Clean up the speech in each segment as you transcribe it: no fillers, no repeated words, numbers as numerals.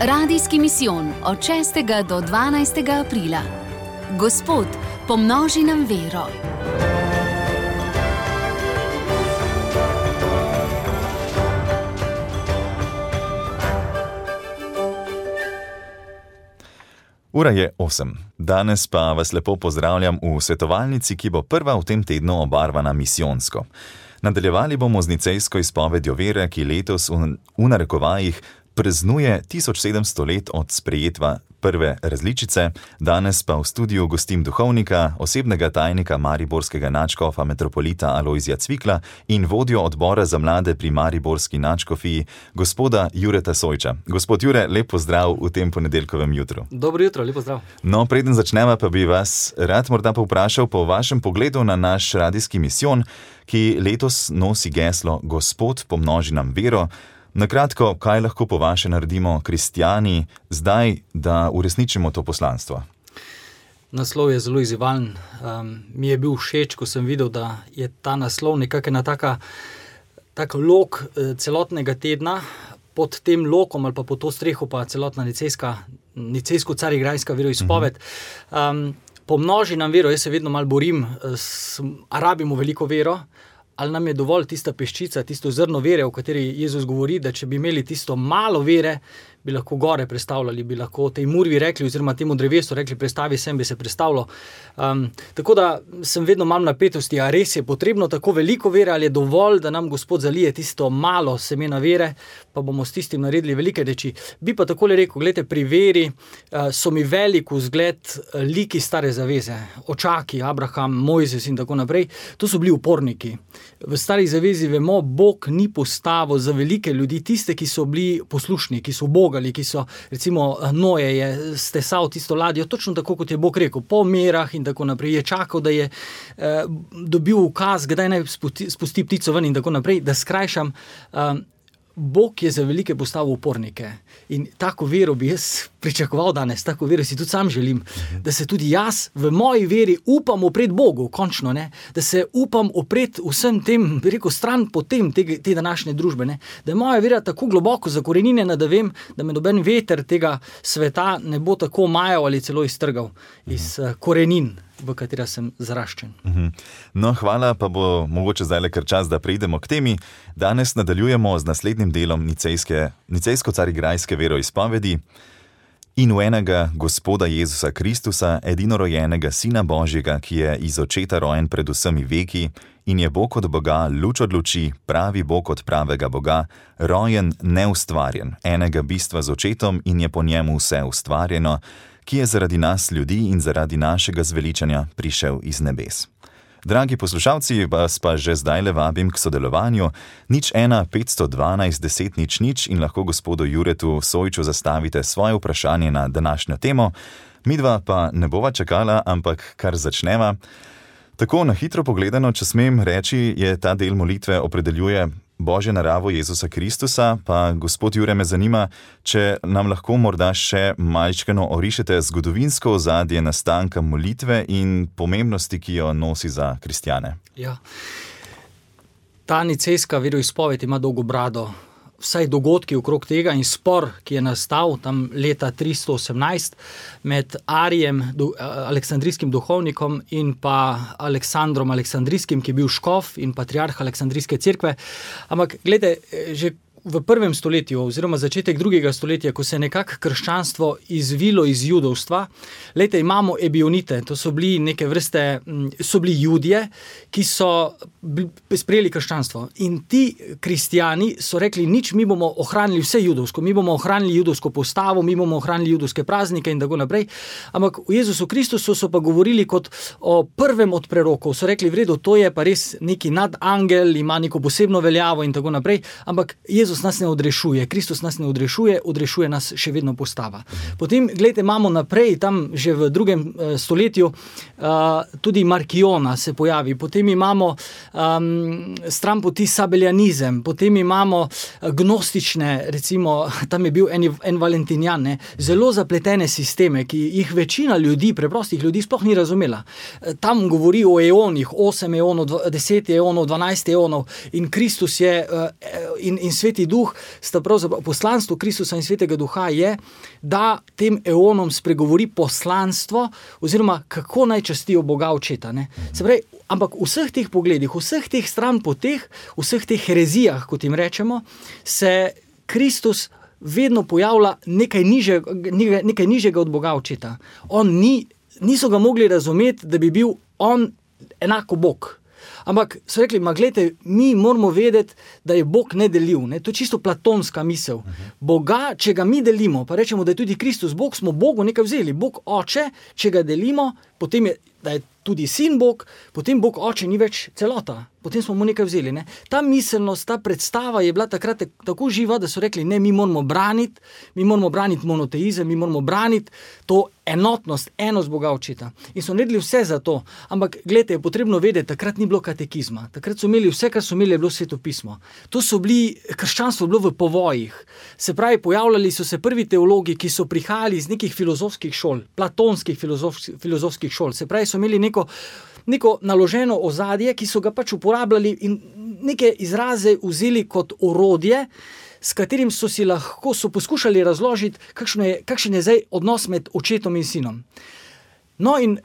Radijski misijon od 6. do 12. aprila. Gospod, pomnoži nam vero. Ura je 8. Danes pa vas lepo pozdravljam v svetovalnici, ki bo prva v tem tednu obarvana misijonsko. Nadaljevali bomo z nicejsko izpovedjo vere, ki letos v narekovajih praznuje 1700 let od sprejetva prve različice. Danes pa v studiu gostim duhovnika, osebnega tajnika mariborskega nadškofa metropolita Alojzija Cvikla in vodjo odbora za mlade pri mariborski nadškofiji, gospoda Jureta Sojča. Gospod Jure, lep pozdrav v tem ponedeljkovem jutru. Dobro jutro, lep pozdrav. No, preden začneva, pa bi vas rad morda povprašal po vašem pogledu na naš radijski misijon, ki letos nosi geslo Gospod, pomnoži nam vero. Na kratko, kaj lahko po vaše naredimo kristjani zdaj, da uresničimo to poslanstvo? Naslov je zelo izzivalen. Mi je bil všeč, ko sem videl, da je ta naslov nekakšna taka lok celotnega tedna. Pod tem lokom ali pa pod to streho pa celotna nicejsko-carigrajska veroizpoved. Pomnoži nam vero, jaz se vedno malo borim, rabimo veliko vero, ali nam je dovolj tista peščica, tisto zrno vere, o kateri Jezus govori, da če bi imeli tisto malo vere, bi lahko gore prestavljali, bi lahko tej murvi rekli, oziroma temu drevesu rekli, prestavi sem, bi se prestavilo. Tako da sem vedno malo napetosti, a res je potrebno tako veliko vere, ali je dovolj, da nam Gospod zalije tisto malo semena vere, pa bomo s tistim naredili velike reči. Bi pa takole rekel, gledajte, pri veri so mi velik vzgled liki stare zaveze, očaki, Abraham, Mojzes in tako naprej. To so bili uporniki. V stari zavezi vemo, Bog ni postavil za velike ljudi, tiste, ki so bili poslušni, ki so ubogali, ki so, recimo, Noe je stesal tisto ladjo, točno tako, kot je Bog rekel, po merah in tako naprej. Je čakal, da je dobil ukaz, kdaj naj spusti ptico ven in tako naprej, da skrajšam. Bog je za velike postavil upornike in tako vero bi jaz pričakoval danes, tako vero si tudi sam želim, da se tudi jaz v moji veri upam opret Bogu, končno, ne? Da se upam opret vsem tem, bi rekel, stran potem te današnje družbe, ne? Da je moja vera tako globoko zakorenjena, da vem, da me noben veter tega sveta ne bo tako majal ali celo iztrgal iz korenin, v katera sem zaraščen. No, hvala, pa bo mogoče zdaj le kar čas, da preidemo k temi. Danes nadaljujemo z naslednjim delom nicejsko-carigrajske veroizpovedi. In v enega Gospoda Jezusa Kristusa, edinorojenega Sina Božjega, ki je iz očeta rojen pred vsemi veki in je Bog od Boga, luč od luči, pravi Bog od pravega Boga, rojen, neustvarjen, enega bistva z očetom in je po njemu vse ustvarjeno, ki je zaradi nas ljudi in zaradi našega zveličanja prišel iz nebes. Dragi poslušalci, vas pa že zdajle vabim k sodelovanju. 01 512 10 00 in lahko gospodu Juretu Sojču zastavite svoje vprašanje na današnjo temo. Midva pa ne bova čakala, ampak kar začneva. Tako na hitro pogledano, če smem reči, je ta del molitve opredeljuje Božjo naravo Jezusa Kristusa, pa gospod Jure, me zanima, če nam lahko morda še malčkeno orišete zgodovinsko ozadje nastanka molitve in pomembnosti, ki jo nosi za kristjane. Ja. Ta nicejska veroizpoved ima dolgo brado. Vsaj dogodki okrog tega in spor, ki je nastal tam leta 318 med Arijem, aleksandrijskim duhovnikom, in pa Aleksandrom Aleksandrijskim, ki je bil škof in patriarh Aleksandrijske cerkve. Ampak, gledajte, že v prvem stoletju, oziroma začetek drugega stoletja, ko se je nekako krščanstvo izvilo iz judovstva, lejte, imamo ebionite, to so bili neke vrste, so bili Judje, ki so sprejeli krščanstvo. In ti kristjani so rekli, nič, mi bomo ohranili vse judovsko, mi bomo ohranili judovsko postavo, mi bomo ohranili judovske praznike in tako naprej. Ampak v Jezusu Kristusu so pa govorili kot o prvem od prerokov. So rekli, v redu, to je pa res neki nadangel, ima neko posebno veljavo in tako naprej, ampak Jezus nas ne odrešuje, Kristus nas ne odrešuje, odrešuje nas še vedno postava. Potem, gledajte, imamo naprej, tam že v drugem stoletju, tudi Markiona se pojavi, potem imamo stran poti sabeljanizem, potem imamo gnostične, recimo, tam je bil en Valentinjan, ne, zelo zapletene sisteme, ki jih večina ljudi, preprostih ljudi, sploh ni razumela. Tam govori o eonih, 8 eonov, 10 eonov, 12 eonov in Kristus je in sveti Sveti duh sta pravzaprav, poslanstvo Kristusa in Svetega duha je, da tem eonom spregovori poslanstvo oziroma kako naj častijo Boga Očeta. Ne? Se pravi, ampak v vseh teh pogledih, vseh teh stranpoteh, vseh teh herezijah, kot jim rečemo, se Kristus vedno pojavlja nekaj nižjega od Boga Očeta. Niso ga mogli razumeti, da bi bil on enako Bog. Ampak so rekli, gledajte, mi moramo vedeti, da je Bog nedeljiv. Ne? To je čisto platonska misel. Boga, če ga mi delimo, pa rečemo, da je tudi Kristus Bog, smo Bogu nekaj vzeli. Bog Oče, če ga delimo, potem da je tudi Sin Bog, potem Bog Oče ni več celota. Potem smo mu nekaj vzeli. Ne? Ta miselnost, ta predstava je bila takrat tako živa, da so rekli, ne, mi moramo braniti monoteizem, mi moramo braniti to enotnost, enost Boga Očeta. In so naredili vse za to. Ampak, gledajte, je potrebno vedeti, takrat ni bilo katekizma. Takrat so imeli vse, kar so imeli, je bilo svetopismo. Krščanstvo je bilo v povojih. Se pravi, pojavljali so se prvi teologi, ki so prihajali iz nekih filozofskih šol, platonskih filozofskih šol. Se pravi, so imeli neko naloženo ozadje, ki so ga pač uporabljali in neke izraze vzeli kot orodje, s katerim so poskušali razložiti, kakšen je zdaj odnos med očetom in sinom. No in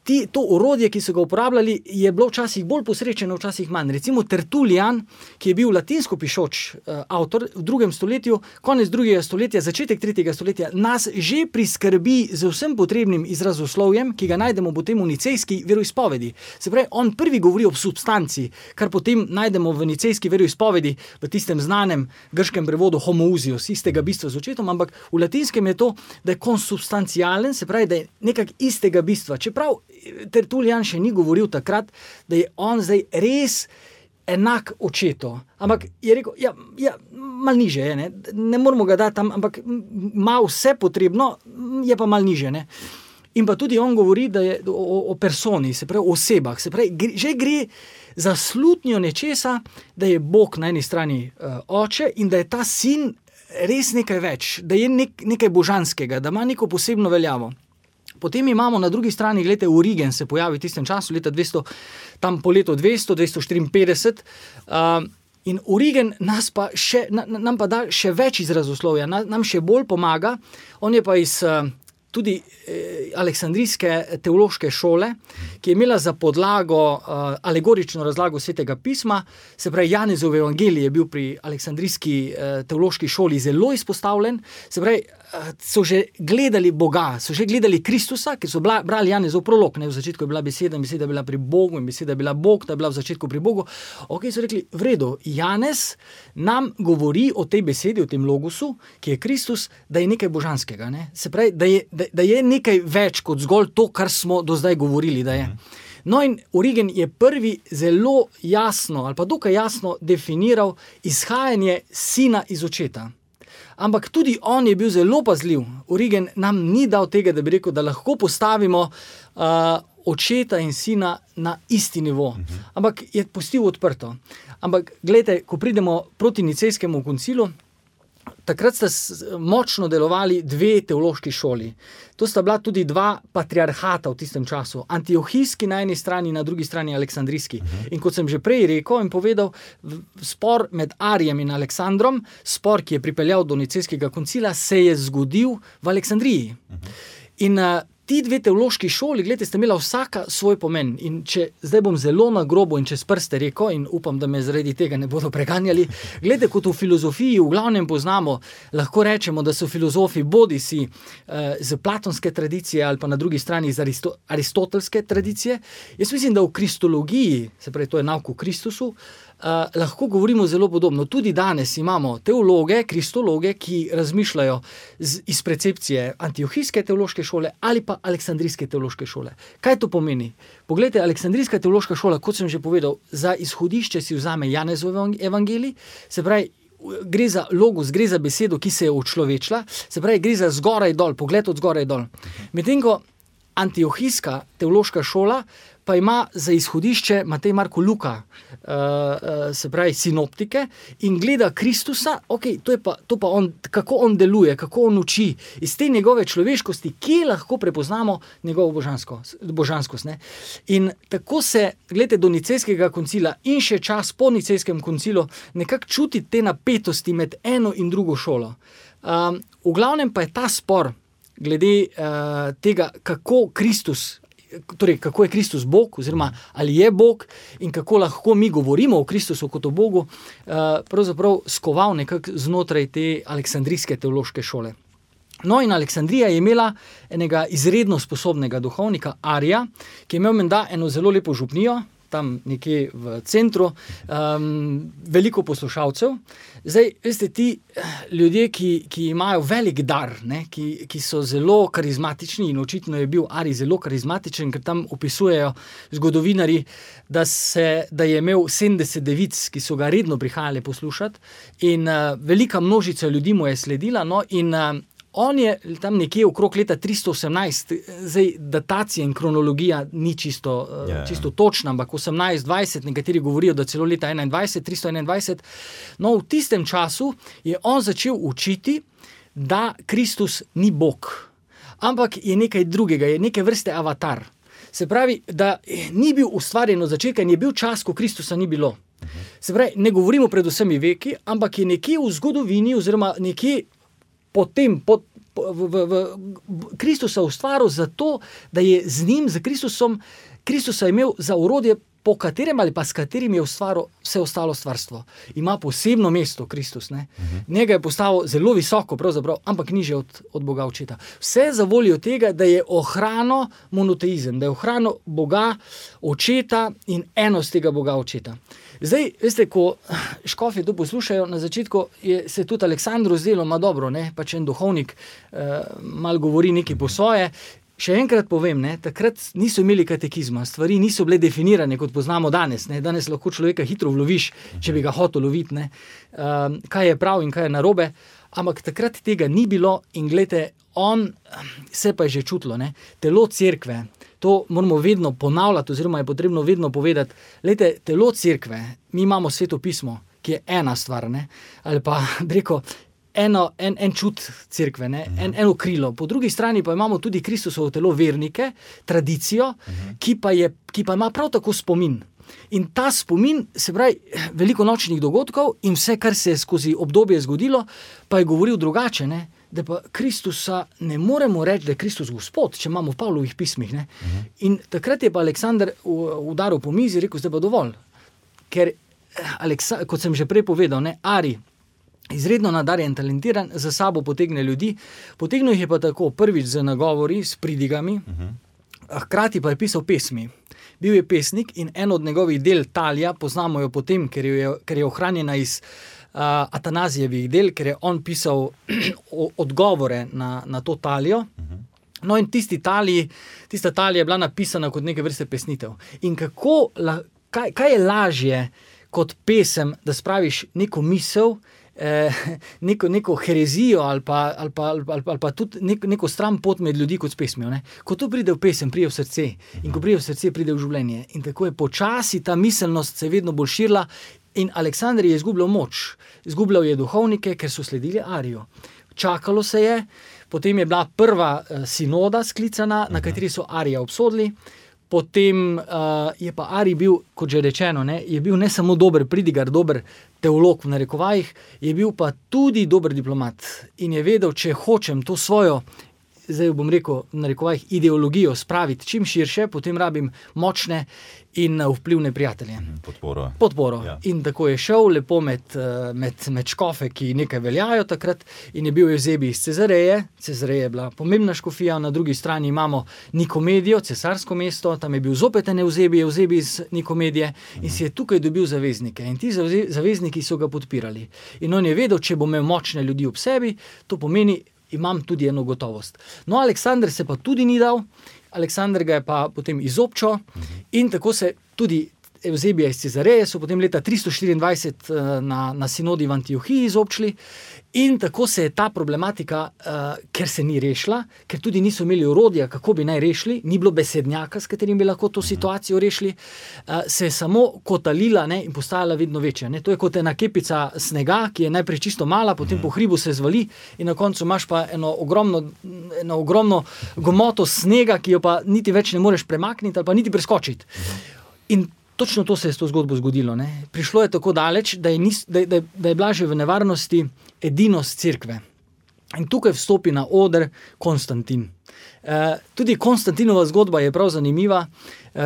to orodje, ki so ga uporabljali, je bilo včasih bolj posrečeno, včasih manj. Recimo Tertulijan, ki je bil latinsko pišoč avtor v 2. stoletju, konec 2. stoletja, začetek 3. stoletja, nas že priskrbi z vsem potrebnim izrazoslovjem, ki ga najdemo potem v nicejski veroizpovedi. Se pravi, on prvi govori o substanci, kar potem najdemo v nicejski veroizpovedi, v tistem znanem grškem prevodu homoousios, istega bistva z očetom, ampak v latinskem je to, da je konsubstancialen, se pravi, da je nekak istega bistva. Čeprav Tertulijan še ni govoril takrat, da je on zdaj res enak očetu. Ampak je rekel, malo niže je, ne moramo ga dati tam, ampak ima vse potrebno, je pa malo niže. Ne? In pa tudi on govori, da je o personi, se pravi o osebah, se pravi, že gre za slutnjo nečesa, da je Bog na eni strani oče in da je ta sin res nekaj več, da je nekaj božanskega, da ima neko posebno veljavo. Potem imamo na drugi strani, gledajte, Origen se pojavi v tistem času, leta 200, tam po letu 254, in Origen nam pa da še več izrazoslovja, nam še bolj pomaga. On je pa iz tudi aleksandrijske teološke šole, ki je imela za podlago alegorično razlago Svetega pisma, se pravi, Janezov evangelij je bil pri aleksandrijski teološki šoli zelo izpostavljen, se pravi, so že gledali Boga, so že gledali Kristusa, ki so brali Janezov prolog, v začetku je bila beseda, in beseda je bila pri Bogu, in beseda je bila Bog, ta je bila v začetku pri Bogu. So rekli, v redu, Janez nam govori o tej besedi, o tem logosu, ki je Kristus, da je nekaj božanskega, ne? Se pravi, da je nekaj več kot zgolj to, kar smo do zdaj govorili, da je. No in Origen je prvi zelo jasno, ali pa dokaj jasno definiral izhajanje sina iz očeta. Ampak tudi on je bil zelo pazljiv. Origen nam ni dal tega, da bi rekel, da lahko postavimo očeta in sina na isti nivo. Ampak je pustil odprto. Ampak gledajte, ko pridemo proti nicejskemu koncilu, takrat sta močno delovali dve teološki šoli. To sta bila tudi dva patriarhata v tistem času. Antiohijski na eni strani, na drugi strani Aleksandrijski. In kot sem že prej rekel in povedal, spor med Arijem in Aleksandrom, spor, ki je pripeljal do nicejskega koncila, se je zgodil v Aleksandriji. In ti dve teološki šoli, gledajte, sta imela vsaka svoj pomen. In zdaj bom zelo na grobo in čez prste rekel, in upam, da me zaradi tega ne bodo preganjali, gledajte, kot v filozofiji v glavnem poznamo, lahko rečemo, da so filozofi bodisi z platonske tradicije ali pa na drugi strani iz aristotelske tradicije. Jaz mislim, da v kristologiji, se pravi, to je nauk o Kristusu, lahko govorimo zelo podobno. Tudi danes imamo teologe, kristologe, ki razmišljajo iz percepcije antiohijske teološke šole ali pa aleksandrijske teološke šole. Kaj to pomeni? Poglejte, aleksandrijska teološka šola, kot sem že povedal, za izhodišče si vzame Janezov evangelij, se pravi, gre za logos, gre za besedo, ki se je učlovečila, se pravi, gre za zgoraj dol, pogled od zgoraj dol. Medtem ko antiohijska teološka šola pa ima za izhodišče Matej, Marko, Luka, se pravi sinoptike, in gleda Kristusa, to pa on, kako on deluje, kako on uči, iz te njegove človeškosti, kje lahko prepoznamo njegovo božanskost. Ne? In tako se, gledajte, do Nicejskega koncila in še čas po Nicejskem koncilu nekako čuti te napetosti med eno in drugo šolo. V glavnem pa je ta spor glede tega, kako je Kristus Bog, oziroma ali je Bog in kako lahko mi govorimo o Kristusu kot o Bogu, pravzaprav skoval nekako znotraj te aleksandrijske teološke šole. No, in Aleksandrija je imela enega izredno sposobnega duhovnika, Arija, ki je imel menda eno zelo lepo župnijo, tam nekje v centru, veliko poslušalcev. Zdaj, veste, ti ljudje, ki imajo velik dar, ne, ki so zelo karizmatični, in očitno je bil Arij zelo karizmatičen, ker tam opisujejo zgodovinari, da je imel 70 devic, ki so ga redno prihajali poslušati, in velika množica ljudi mu je sledila, no, in on je tam nekje okrog leta 318, zdaj datacija in kronologija ni čisto točna, ampak 18-20, nekateri govorijo, da celo leta 321. No, v tistem času je on začel učiti, da Kristus ni Bog, ampak je nekaj drugega, je neke vrste avatar. Se pravi, da ni bil ustvarjen od začetka in je bil čas, ko Kristusa ni bilo. Se pravi, ne govorimo pred vsemi veki, ampak je nekje v zgodovini oziroma nekje potem Kristusa ustvaril zato, da je z njim, z Kristusa imel za orodje, po katerem ali pa s katerim je ustvaril vse ostalo stvarstvo. Ima posebno mesto Kristus. Ne? Njega je postavil zelo visoko, pravzaprav, ampak nižje od Boga Očeta. Vse za voljo tega, da je ohranil monoteizem, da je ohranil Boga Očeta in enost tega Boga Očeta. Zdaj, veste, ko škofje to poslušajo, na začetku se tudi Aleksandru zdelo, dobro, ne, pač en duhovnik malo govori nekaj po svoje. Še enkrat povem, ne, takrat niso imeli katekizma, stvari niso bile definirane, kot poznamo danes. Ne. Danes lahko človeka hitro vloviš, če bi ga hotel loviti, ne, kaj je prav in kaj je narobe, ampak takrat tega ni bilo in gledajte, on se pa je že čutilo, ne, telo cerkve. To moramo vedno ponavljati, oziroma je potrebno vedno povedati. Glejte, telo cerkve, mi imamo Sveto pismo, ki je ena stvar, ne? Ali pa, reko, en čut cerkve, ne? Eno krilo. Po drugi strani pa imamo tudi Kristusovo telo vernike, tradicijo, ki pa ima prav tako spomin. In ta spomin, se pravi, veliko nočnih dogodkov in vse, kar se je skozi obdobje zgodilo, pa je govoril drugače, ne? Da pa Kristusa ne moremo reči, da je Kristus Gospod, če imamo v Pavlovih pismih. Ne? In takrat je pa Aleksander udaril po mizi in rekel, zdaj pa dovolj. Ker, kot sem že prej povedal, ne, Arij, izredno nadarjen, talentiran, za sabo potegne ljudi. Potegnil jih je pa tako, prvič z nagovori, s pridigami, hkrati pa je pisal pesmi. Bil je pesnik in en od njegovih del, Talija, poznamo jo potem, ker je ohranjena iz Atanazijevih del, ker je on pisal odgovore na to Talijo. No in tista Talija je bila napisana kot neke vrste pesnitev. In kaj je lažje kot pesem, da spraviš neko misel, neko herezijo ali pa tudi neko stran pot med ljudi kot s pesmijo. Ne? Ko to pride v pesem, pride v srce. In ko pride v srce, pride v življenje. In tako je počasi ta miselnost se vedno bolj širila. In Aleksander je izgubljal moč. Izgubljal je duhovnike, ker so sledili Ariju. Čakalo se je, potem je bila prva sinoda sklicana, na kateri so Arija obsodili. Potem je pa Arij bil, kot že rečeno, ne, je bil ne samo dober pridigar, dober teolog v narekovajih, je bil pa tudi dober diplomat. In je vedel, če hočem to svojo, zdaj bom rekel, v narekovajih ideologijo spraviti čim širše, potem rabim močne in vplivne prijatelje. Podporo. Ja. In tako je šel lepo med škofe, ki nekaj veljajo takrat, in je bil Evzebij iz Cezareje. Cezareja je bila pomembna škofija, na drugi strani imamo Nikomedijo, cesarsko mesto, tam je bil zopet Evzebij iz Nikomedije in si je tukaj dobil zaveznike. In ti zavezniki so ga podpirali. In on je vedel, če bo imel močne ljudi ob sebi, to pomeni, imam tudi eno gotovost. No, Aleksander se pa tudi ni dal, Aleksander ga je pa potem izobčil in tako se tudi Evzebija iz Cezareje so potem leta 324 na sinodi v Antiohiji izobčili in tako se je ta problematika, ker se ni rešila, ker tudi niso imeli orodja, kako bi naj rešili, ni bilo besednjaka, s katerim bi lahko to situacijo rešili, se je samo kotalila, ne, in postajala vedno večja. Ne. To je kot ena kepica snega, ki je najprej čisto mala, potem po hribu se zvali in na koncu imaš pa eno ogromno gomoto snega, ki jo pa niti več ne moreš premakniti ali pa niti preskočiti. In točno to se je s to zgodbo zgodilo. Ne. Prišlo je tako daleč, da je bila že v nevarnosti edinost cerkve. In tukaj vstopi na oder Konstantin. Tudi Konstantinova zgodba je prav zanimiva.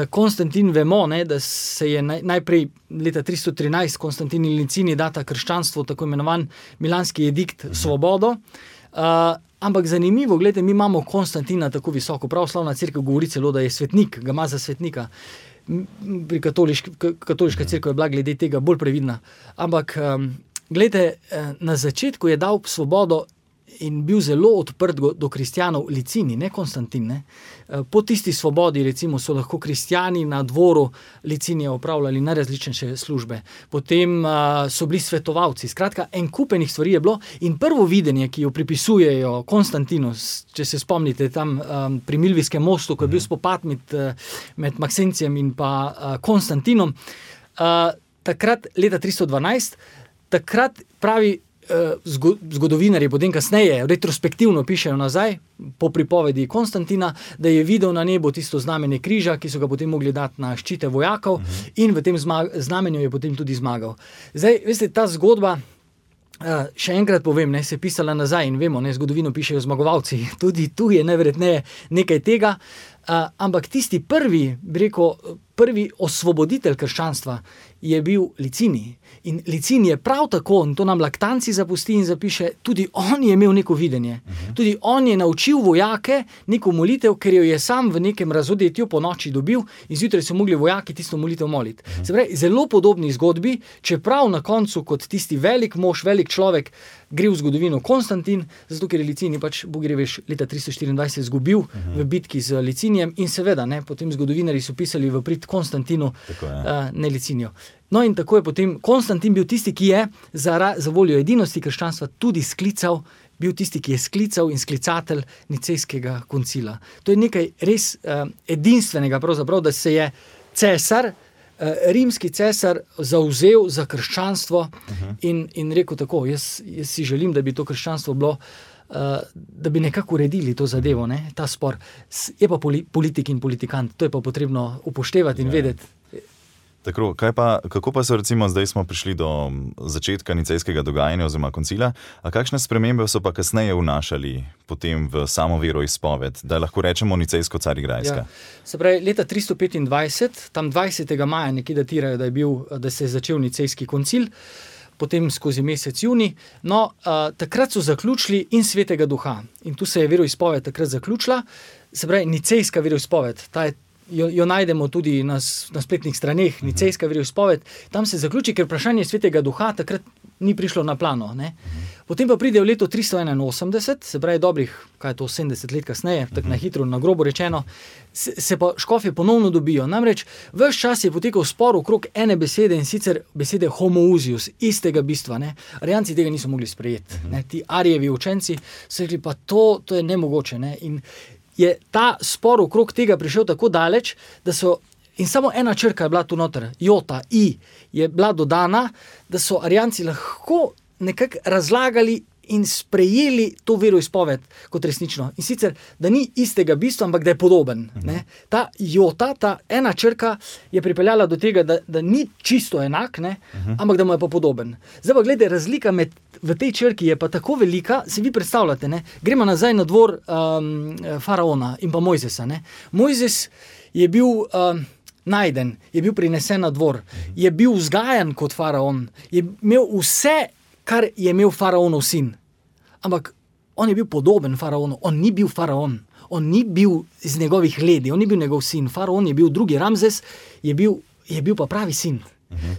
Konstantin vemo, ne, da se je najprej leta 313 Konstantin in Licini data krščanstvo, tako imenovan Milanski edikt, svobodo. Ampak zanimivo, gledajte, mi imamo Konstantina tako visoko. Pravoslavna cerkev govori celo, da je svetnik, ga ima za svetnika. Pri katoliška cerkev je bila glede tega bolj previdna. Ampak glejte, na začetku je dal svobodo in bil zelo odprt do kristjanov Licini, ne Konstantin. Ne? Po tisti svobodi, recimo, so lahko kristjani na dvoru Licinije opravljali najrazličnejše službe. Potem so bili svetovalci. Skratka, en kupenih stvari je bilo in prvo videnje, ki jo pripisujejo Konstantinu, če se spomnite tam pri Milvijskem mostu, ko je bil spopad med Maksencijem in pa Konstantinom, takrat, leta 312, takrat pravi zgodovinarji, potem kasneje, retrospektivno pišejo nazaj, po pripovedi Konstantina, da je videl na nebu tisto znamenje križa, ki so ga potem mogli dati na ščite vojakov in v tem znamenju je potem tudi zmagal. Zdaj, veste, ta zgodba, še enkrat povem, ne, se je pisala nazaj in vemo, ne, zgodovino pišejo zmagovalci, tudi tu je najverjetneje nekaj tega, ampak tisti prvi osvoboditelj krščanstva je bil Licini. In Licini je prav tako, in to nam Laktanci zapusti in zapiše, tudi on je imel neko videnje. Tudi on je naučil vojake neko molitev, ker jo je sam v nekem razodetju po noči dobil in zjutraj so mogli vojaki tisto molitev moliti. Se pravi, zelo podobni zgodbi, čeprav na koncu kot tisti velik mož, velik človek gre v zgodovino Konstantin, zato ker je Licini pač, Bog gre veš, leta 324 izgubil v bitki z Licinijem in seveda, ne, potem zgodovinarji so pisali v prid Konstantinu, ne Licinijo. No in tako je potem Konstantin bil tisti, ki je za voljo edinosti krščanstva tudi bil tisti, ki je sklical in sklicatelj Nicejskega koncila. To je nekaj res edinstvenega pravzaprav, da se je cesar, rimski cesar zavzel za krščanstvo in rekel tako, jaz si želim, da bi to krščanstvo bilo, da bi nekako uredili to zadevo, ne, ta spor. Je pa politik in politikant, to je pa potrebno upoštevati in vedeti. Tako, kako pa so recimo, zdaj smo prišli do začetka nicejskega dogajanja oziroma koncila, a kakšne spremembe so pa kasneje vnašali potem v samo veroizpoved, da lahko rečemo nicejsko carigrajska? Ja. Se pravi, leta 325, tam 20. maja nekje datirajo, da se je začel nicejski koncil, potem skozi mesec junij. No, takrat so zaključili in Svetega Duha. In tu se je veroizpoved takrat zaključila. Se pravi, nicejska veroizpoved, jo najdemo tudi na spletnih straneh, nicejska veroizpoved, tam se zaključi, ker vprašanje Svetega Duha takrat ni prišlo na plano. Ne? Potem pa pride v leto 381, se pravi dobrih, 70 let kasneje, tako na hitro, na grobo rečeno, se pa škofje ponovno dobijo. Namreč ves čas je potekal spor okrog ene besede in sicer besede homoousius, istega bistva. Ne? Arijanci tega niso mogli sprejeti. Ne? Ti Arijevi učenci so rekli, pa to je nemogoče. Ne? In je ta spor okrog tega prišel tako daleč, da so, in samo ena črka je bila tu noter, jota, i, je bila dodana, da so Arijanci lahko nekako razlagali in sprejeli to veroizpoved kot resnično. In sicer, da ni istega bistva, ampak da je podoben. Ne? Ta jota, ta ena črka je pripeljala do tega, da ni čisto enak, ne? Ampak da mu je pa podoben. Zdaj pa gledajte, razlika v tej črki je pa tako velika, si vi predstavljate, ne? Gremo nazaj na dvor faraona in pa Mojzesa. Ne? Mojzes je bil najden, je bil prinesen na dvor, je bil vzgajan kot faraon, je imel vse, kar je imel faraonov sin. Ampak on je bil podoben faraonu, on ni bil faraon, on ni bil iz njegovih ledi, on ni bil njegov sin, faraon je bil drugi, Ramzes je bil pa pravi sin.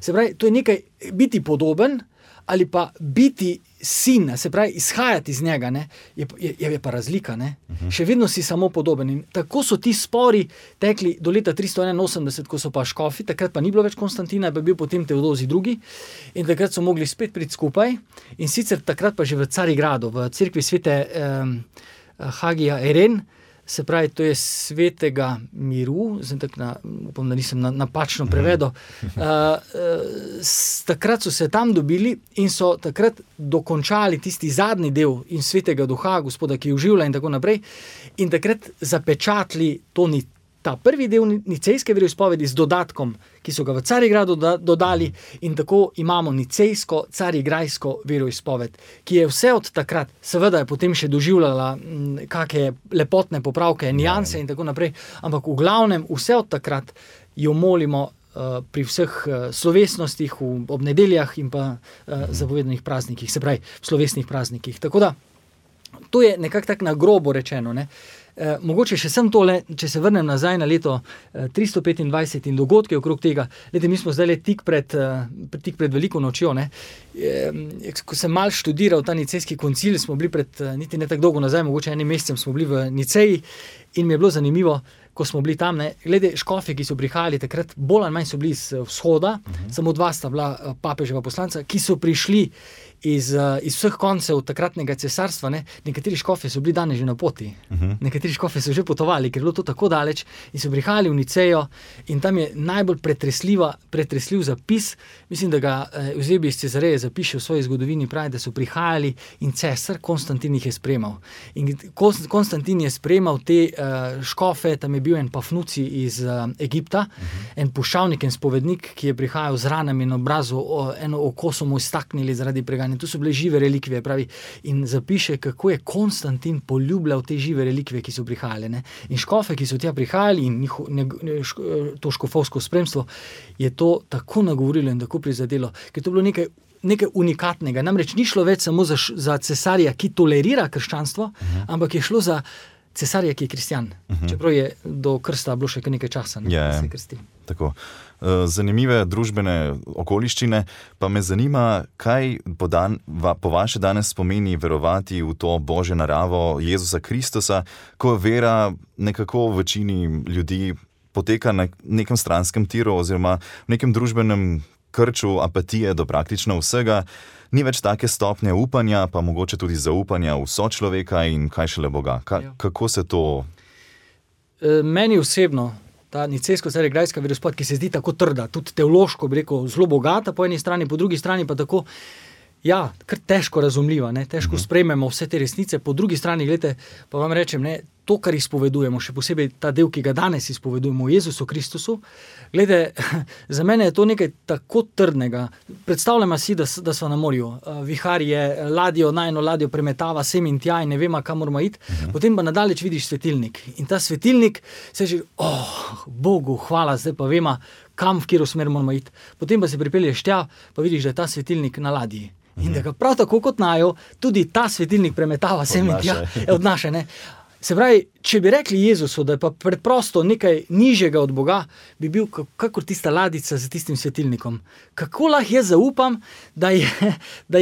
Se pravi, to je nekaj biti podoben, ali pa biti sin, se pravi izhajati iz njega, ne, je pa razlika. Ne. Še vedno si samo podoben. In tako so ti spori tekli do leta 381, ko so pa škofi, takrat pa ni bilo več Konstantina, pa je bil potem Teodozij II. In takrat so mogli spet priti skupaj. In sicer takrat pa že v Carigradu, v cerkvi svete Hagija Eren, se pravi, to je svetega miru, upam, da nisem napačno prevedel. Takrat so se tam dobili in so takrat dokončali tisti zadnji del in svetega duha, Gospoda, ki oživlja in tako naprej. In takrat zapečatili ta prvi del nicejske veroizpovedi z dodatkom, ki so ga v Carigradu dodali, in tako imamo nicejsko, carigrajsko veroizpoved, ki je vse od takrat, seveda je potem še doživljala kakšne lepotne popravke, nianse in tako naprej, ampak v glavnem vse od takrat jo molimo pri vseh slovesnostih, ob nedeljah in pa zapovedanih praznikih, se pravi v slovesnih praznikih. Tako da, to je nekako tako na grobo rečeno, ne. Mogoče še sem tole, če se vrnem nazaj na leto 325 in dogodke okrog tega. Glede, mi smo zdaj tik pred veliko nočjo, ne. Ko sem malo študiral ta nicejski koncil, smo bili niti ne tako dolgo nazaj, mogoče enim mesecem smo bili v Niceji in mi je bilo zanimivo, ko smo bili tam, ne, glede škofi, ki so prihajali takrat, bolj ali manj so bili iz vzhoda, samo 2 sta bila papeževa poslanca, ki so prišli iz vseh koncev takratnega cesarstva, ne. Nekateri škofi so bili danes že na poti, nekateri škofi so že potovali, ker je bilo to tako daleč in so prihajali v Nicejo in tam je najbolj pretresljiv zapis, mislim, da ga Eusebi iz Cezareje zapiše v svoji zgodovini, pravi, da so prihajali in cesar Konstantin jih je sprejemal. In Konstantin je sprejemal te škofe, tam je bil en Pafnuci iz Egipta, en puščavnik, en spovednik, ki je prihajal z ranami na obrazu, eno oko so mu iztaknili zaradi preganja. Tu so bile žive relikvije, pravi, in zapiše, kako je Konstantin poljubljal te žive relikvije, ki so prihajale, ne. In škofe, ki so tja prihajali in to škofovsko spremstvo, je to tako nagovorilo in tako prizadelo, ker to je bilo nekaj unikatnega. Namreč ni šlo več samo za cesarja, ki tolerira krščanstvo, ampak je šlo za cesarja, ki je kristjan. Čeprav je do krsta bilo še nekaj časa, ne, da se krsti. Tako. Zanimive družbene okoliščine, pa me zanima, kaj po vaše danes pomeni verovati v to Božjo naravo Jezusa Kristusa, ko vera nekako v večini ljudi poteka na nekem stranskem tiru oziroma v nekem družbenem krču apatije do praktično vsega. Ni več take stopnje upanja, pa mogoče tudi zaupanja v sočloveka in kaj šele Boga. Kako se to... Meni osebno ta nicejsko-carigrajska veroizpoved, ki se zdi tako trda, tudi teološko, bi rekel, zelo bogata po eni strani, po drugi strani pa tako, kar težko razumljiva, ne, težko sprejmemo vse te resnice, po drugi strani, gledajte, pa vam rečem, ne, to, kar izpovedujemo, še posebej ta del, ki ga danes izpovedujemo v Jezusu Kristusu, gledajte, za mene je to nekaj tako trdnega. Predstavljamo si, da smo na morju, vihar je najino ladjo premetava sem in tja in ne vemo, kam moramo iti, potem pa nadaleč vidiš svetilnik in ta svetilnik se že, Bogu hvala, zdaj pa vemo, kam, v katero smer moramo iti. Potem pa se pripelješ tja, pa vidiš, da je ta svetilnik na ladji. In da ga prav tako kot najo, tudi ta svetilnik premetava sem in tja, odnaša, ne. Se pravi, če bi rekli Jezusu, da je pa preprosto nekaj nižjega od Boga, bi bil kakor tista ladica z tistim svetilnikom. Kako lahko jaz zaupam, da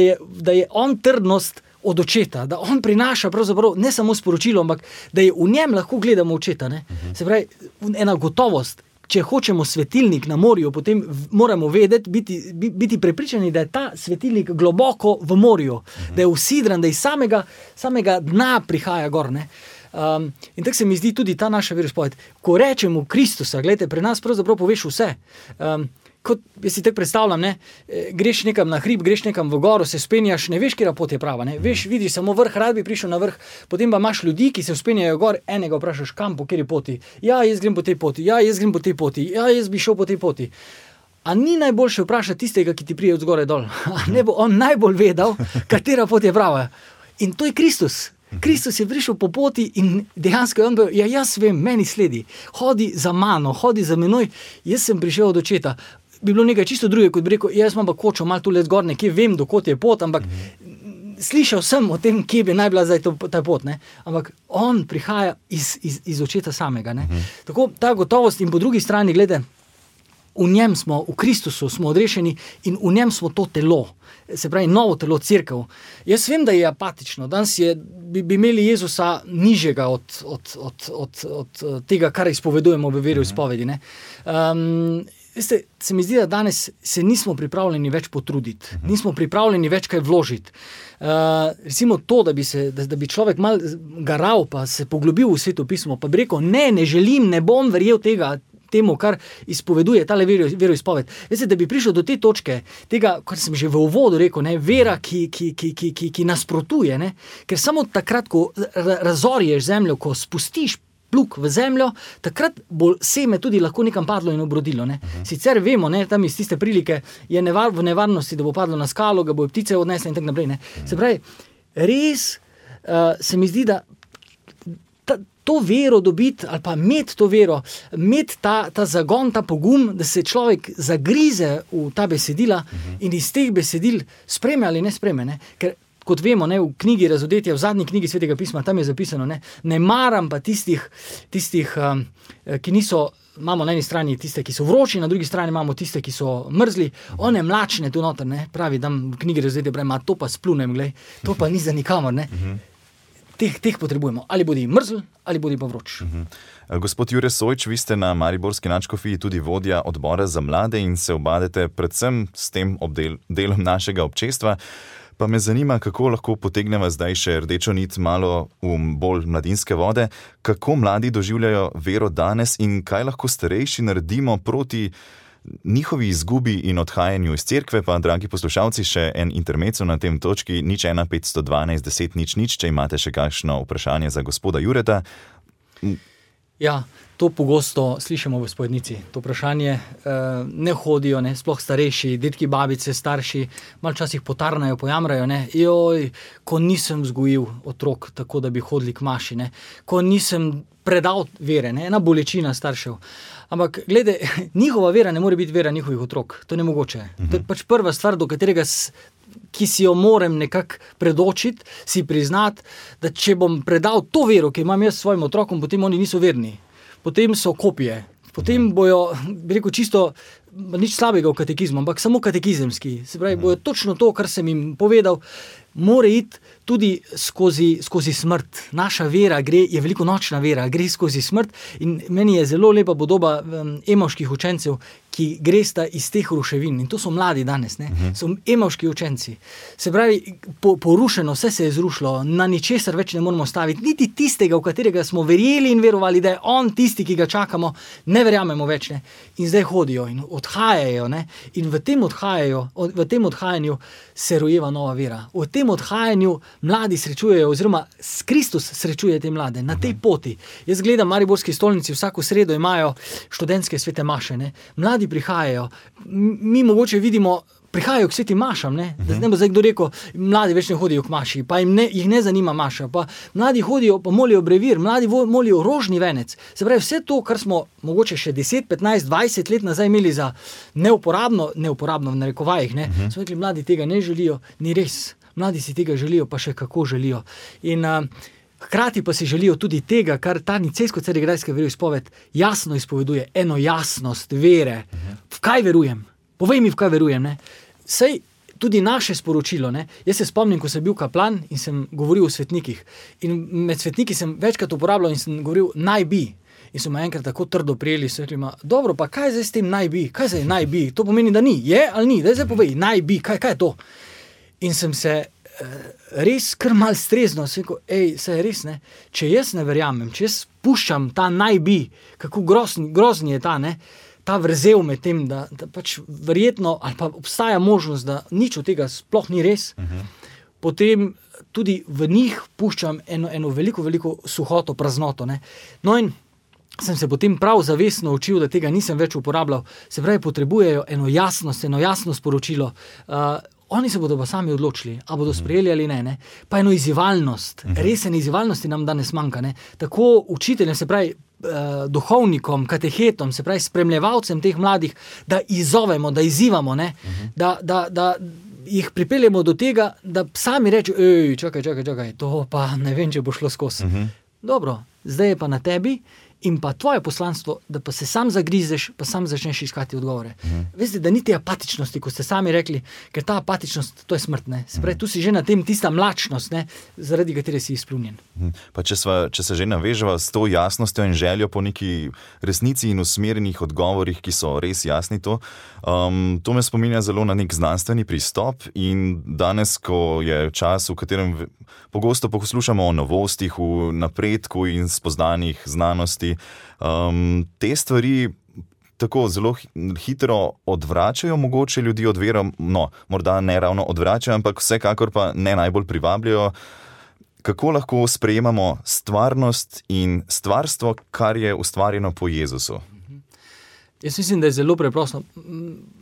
je on trdnost od očeta, da on prinaša pravzaprav ne samo sporočilo, ampak da je v njem lahko gledamo očeta, ne. Se pravi, ena gotovost. Če hočemo svetilnik na morju, potem moramo vedeti, biti prepričani, da je ta svetilnik globoko v morju, da je usidran, da iz samega dna prihaja gor, ne. In tako se mi zdi tudi ta naša veroizpoved. Ko rečemo Kristusa, gledajte, pri nas pravzaprav poveš vse. Kot jaz si tako predstavljam, ne, greš nekam na hrib, greš nekam v goro, se spenjaš, ne veš, katera pot je prava, ne, vidiš samo vrh, rad bi prišel na vrh, potem pa imaš ljudi, ki se spenjajo gor, enega vprašaš, kam, po kateri poti, jaz grem po tej poti, jaz grem po tej poti, jaz bi šel po tej poti. A ni najboljše vprašati tistega, ki ti prije od zgoraj dol? A ne bo on najbolj vedel, katera pot je prava? In to je Kristus. Kristus je prišel po poti in dejansko je on bil, jaz vem, meni sledi, hodi za mano, hodi za menoj, jaz sem prišel od očeta. Bi bilo nekaj čisto druge, kot bi rekel, jaz imam pa kočo malo tule zgor, nekje vem, dokot je pot, ampak slišal sem o tem, kje bi naj bila zdaj ta pot, ne? Ampak on prihaja iz očeta samega, ne? Tako ta gotovost in po drugi strani, glede, v njem smo, v Kristusu smo odrešeni in v njem smo to telo. Se pravi, novo telo, cerkev. Jaz vem, da je apatično. Danes bi imeli Jezusa nižjega od tega, kar izpovedujemo v veri v izpovedi. Veste, se mi zdi, da danes se nismo pripravljeni več potruditi, nismo pripravljeni več kaj vložiti. Recimo to, da bi človek mal garal, pa se poglobil v Sveto pismo, pa bi rekel, ne želim, ne bom verjel temu, kar izpoveduje tale veroizpoved. Veste, da bi prišel do te točke, tega, kar sem že v uvodu rekel, vera, ki nasprotuje, ker samo takrat, ko razorješ zemljo, ko spustiš plug v zemljo, takrat bo seme tudi lahko nekam padlo in obrodilo. Sicer vemo, tam iz tiste prilike je v nevarnosti, da bo padlo na skalo, ga bo ptice odnesle in tako naprej. Se pravi, res se mi zdi, da to vero dobiti, ali pa imeti to vero, imeti ta zagon, ta pogum, da se človek zagrize v ta besedila in iz teh besedil spreme ali ne spreme. Ker kot vemo, v knjigi Razodetja, v zadnji knjigi Svetega pisma, tam je zapisano, ne maram pa tistih, ki niso, imamo na eni strani tiste, ki so vroči, na drugi strani imamo tiste, ki so mrzli, one mlačne tu noter, pravi, tam v knjigi Razodetja, pravi, to pa splunem, glej, to pa ni za nikamor, Teh potrebujemo. Ali bodi mrzel, ali bodi pa vroč. Gospod Jure Sojč, vi ste na mariborski nadškofiji tudi vodja odbora za mlade in se ubadate predvsem s tem delom našega občestva. Pa me zanima, kako lahko potegneva zdaj še rdečo nit malo v bolj mladinske vode, kako mladi doživljajo vero danes in kaj lahko starejši naredimo proti njihovi izgubi in odhajanju iz cerkve. Pa, dragi poslušalci, še en intermezzo na tem točki, 01512 10 00, če imate še kakšno vprašanje za gospoda Jureta. Ja, to pogosto slišimo v spovednici. To vprašanje ne hodijo, sploh starejši, dedki, babice, starši, malo časih potarnajo, pojamrajo, joj, ko nisem vzgojil otrok tako, da bi hodili k maši, ko nisem predal vere, ena bolečina staršev. Ampak, glede, njihova vera ne more biti vera njihovih otrok. To je nemogoče. To je pač prva stvar, do katerega ki si jo moram nekako predočiti, si priznati, da če bom predal to vero, ki imam jaz svojim otrokom, potem oni niso verni. Potem so kopije. Potem bojo, bi rekel, čisto nič slabega v katekizmu, ampak samo katekizemski. Se pravi, bojo točno to, kar sem jim povedal, more iti tudi skozi smrt. Naša vera je velikonočna vera, gre skozi smrt in meni je zelo lepa podoba emovških učencev, ki gresta iz teh ruševin. In to so mladi danes, so emovški učenci. Se pravi, porušeno, vse se je zrušilo, na ničesar več ne moramo staviti, niti tistega, v katerega smo verjeli in verovali, da je on tisti, ki ga čakamo, ne verjamemo več. In zdaj hodijo in odhajajo. In v tem odhajanju se rojeva nova vera. V tem odhajanju mladi srečujejo, oziroma Kristus srečuje te mlade na tej poti. Jaz gledam, mariborski stolnici vsako sredo imajo študentske svete maše. Mladi prihajajo, mi mogoče vidimo, prihajajo k svetim mašam, da ne bo zdaj kdo rekel, mladi več ne hodijo k maši, pa jih ne zanima maša, pa mladi hodijo, pa molijo brevir, mladi molijo rožni venec. Se pravi, vse to, kar smo mogoče še 10, 15, 20 let nazaj imeli za neuporabno v narekovajih, smo rekli, mladi tega ne želijo, ni res. Mladi si tega želijo, pa še kako želijo. In hkrati pa si želijo tudi tega, kar ta nicejsko-carigrajska veroizpoved jasno izpoveduje, eno jasnost vere. V kaj verujem? Povej mi, v kaj verujem. Sej tudi naše sporočilo. Jaz se spomnim, ko sem bil kaplan in sem govoril o svetnikih. In med svetniki sem večkrat uporabljal in sem govoril naj bi. In so me enkrat tako trdo prijeli, so rekli, dobro, pa kaj zdaj s tem naj bi? Kaj zdaj naj bi? To pomeni, da ni. Je ali ni? Daj zdaj povej, naj bi. Kaj je to? In sem se res kar mal streznil, sem rekel, saj je res, če jaz ne verjamem, če jaz puščam ta naj bi, kako grozni je ta vrzel med tem, da pač verjetno, ali pa obstaja možnost, da nič od tega sploh ni res, potem tudi v njih puščam eno veliko suhoto, praznoto. No in sem se potem prav zavestno učil, da tega nisem več uporabljal. Se pravi, potrebujejo eno jasno sporočilo. Oni se bodo pa sami odločili, a bodo sprejeli ali ne. Pa eno izzivalnost, resen izzivalnosti nam danes manjka. Tako učiteljem, se pravi duhovnikom, katehetom, se pravi spremljevalcem teh mladih, da izzovemo, da izzivamo, da jih pripeljemo do tega, da sami rečejo, čakaj, to pa ne vem, če bo šlo skozi. Dobro, zdaj je pa na tebi in pa tvoje poslanstvo, da pa se sam zagrizeš, pa sam začneš iskati odgovore. Veste, da ni te apatičnosti, ko ste sami rekli, ker ta apatičnost, to je smrt, ne. Se pravi, tu si že na tem tista mlačnost, ne, zaradi katere si izplunjen. Pa če se že naveževa s to jasnostjo in željo po neki resnici in usmerjenih odgovorih, ki so res jasni to me spominja zelo na nek znanstveni pristop in danes, ko je čas, v katerem pogosto poslušamo o novostih, v napredku in spoznanjih znanosti, te stvari tako zelo hitro odvračajo mogoče ljudi od vere, no, morda ne ravno odvračajo, ampak vsekakor pa ne najbolj privabljajo. Kako lahko sprejemamo stvarnost in stvarstvo, kar je ustvarjeno po Jezusu? Jaz mislim, da je zelo preprosto.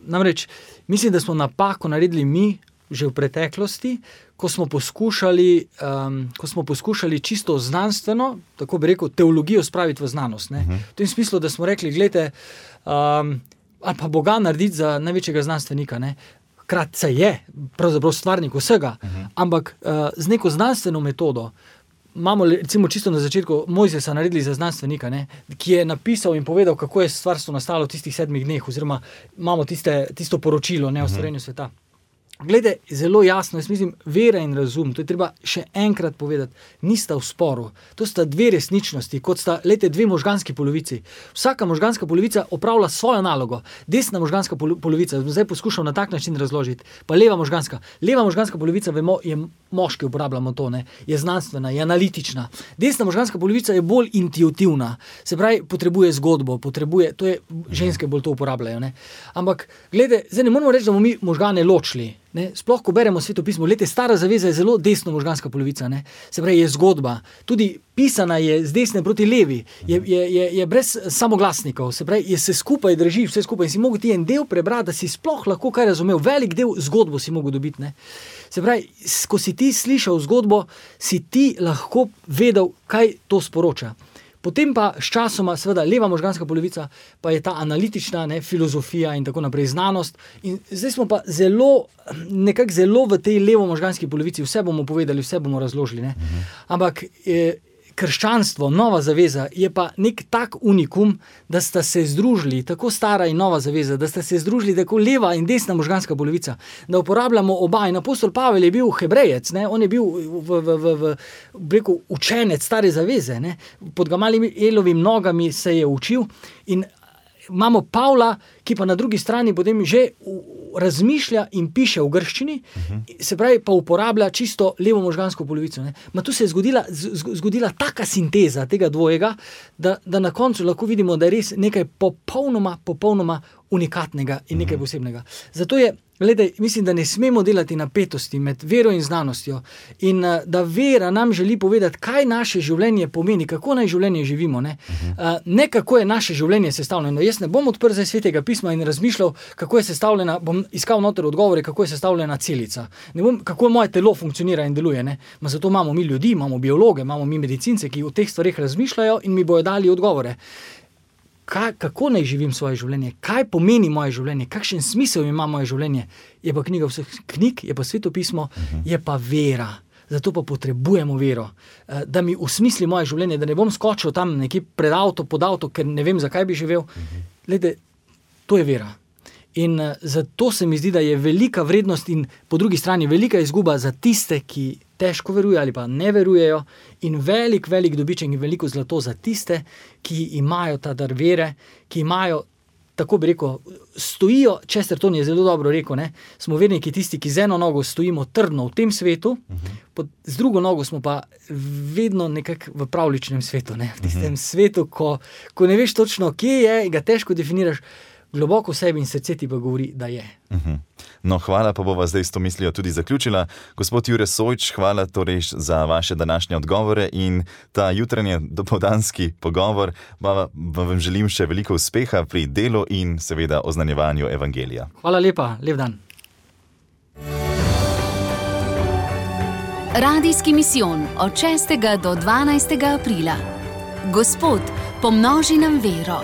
Namreč, mislim, da smo napako naredili mi že v preteklosti, ko smo poskušali čisto znanstveno, tako bi rekel, teologijo spraviti v znanost. Ne? V tem smislu, da smo rekli, glejte, ali pa Boga narediti za največjega znanstvenika, ne? Kratce je, pravzaprav stvarnik vsega, ampak z neko znanstveno metodo. Imamo recimo čisto na začetku Mojzesa naredili za znanstvenika, ne, ki je napisal in povedal, kako je stvarstvo nastalo v tistih 7 dneh, oziroma imamo tisto poročilo o stvarjenju sveta. Glede, zelo jasno, jaz mislim, vera in razum, to je treba še enkrat povedati, nista v sporu. To sta dve resničnosti, kot sta, dve možganski polovici. Vsaka možganska polovica opravlja svojo nalogo. Desna možganska polovica, zdaj poskušam na tak način razložiti, pa leva možganska polovica, vemo, je moški, uporabljamo to, ne, je znanstvena, je analitična. Desna možganska polovica je bolj intuitivna, se pravi, potrebuje zgodbo, to je, ženske bolj to uporabljajo, ne. Ampak, glede, zdaj ne moramo reči, da bomo mi možgane ločili. Ne, sploh, ko beremo Sveto pismo, stara zaveza je zelo desno možganska polovica, ne, se pravi, je zgodba, tudi pisana je z desne proti levi, je brez samoglasnikov, se pravi, se skupaj drži, vse skupaj in si mogel ti en del prebrati, da si sploh lahko kaj razumel, velik del zgodbo si mogel dobiti, ne. Se pravi, ko si ti slišal zgodbo, si ti lahko vedel, kaj to sporoča. Potem pa s časoma, seveda, leva možganska polovica, pa je ta analitična, ne, filozofija in tako naprej, znanost. In zdaj smo pa nekako zelo v tej levo možganski polovici, vse bomo povedali, vse bomo razložili, ne. Ampak krščanstvo, nova zaveza, je pa nek tak unikum, da sta se združili, tako stara in nova zaveza, da sta se združili tako leva in desna možganska polovica, da uporabljamo oba. In apostol Pavel je bil Hebrejec, ne? On je bil učenec stare zaveze, ne? Pod Gamalielovimi nogami se je učil in imamo Pavla, ki pa na drugi strani potem že razmišlja in piše v grščini, se pravi, pa uporablja čisto levo možgansko polovico. Ne? Ma tu se je zgodila taka sinteza tega dvojega, da na koncu lahko vidimo, da je res nekaj popolnoma unikatnega in nekaj posebnega. Zato je, mislim, da ne smemo delati napetosti med vero in znanostjo in da vera nam želi povedati, kaj naše življenje pomeni, kako naj življenje živimo. Ne kako je naše življenje sestavljeno. Jaz ne bom odprl zdaj Svetega pisma in razmišljal, kako je sestavljena, bom iskal noter odgovore, kako je sestavljena celica. Ne bom, kako moje telo funkcionira in deluje. Ma zato imamo mi ljudi, imamo biologe, imamo mi medicince, ki o teh stvareh razmišljajo in mi bojo dali odgovore. Kako naj živim svoje življenje, kaj pomeni moje življenje, kakšen smisel ima moje življenje, je pa knjiga vseh knjig, je pa Sveto pismo, je pa vera. Zato pa potrebujemo vero, da mi usmisli moje življenje, da ne bom skočil tam nekje pred avto, pod avto, ker ne vem, zakaj bi živel. To je vera. In zato se mi zdi, da je velika vrednost in po drugi strani velika izguba za tiste, ki težko verujejo ali pa ne verujejo, in velik dobiček in veliko zlato za tiste, ki imajo ta dar vere, ki imajo, tako bi rekel, stojijo, Chesterton je zelo dobro rekel, ne, smo verniki tisti, ki z eno nogo stojimo trdno v tem svetu, z drugo nogo smo pa vedno nekako v pravličnem svetu, ne, v tistem svetu, ko ne veš točno, kje je, ga težko definiraš, globoko v sebi in srce ti pa govori, da je. No, hvala, pa bova zdaj s to mislijo tudi zaključila. Gospod Jure Sojč, hvala torej za vaše današnje odgovore in ta jutranje dopoldanski pogovor. Vam želim še veliko uspeha pri delu in seveda oznanjevanju evangelija. Hvala lepa, lep dan. Radijski misijon od 6. do 12. aprila. Gospod, pomnoži nam vero.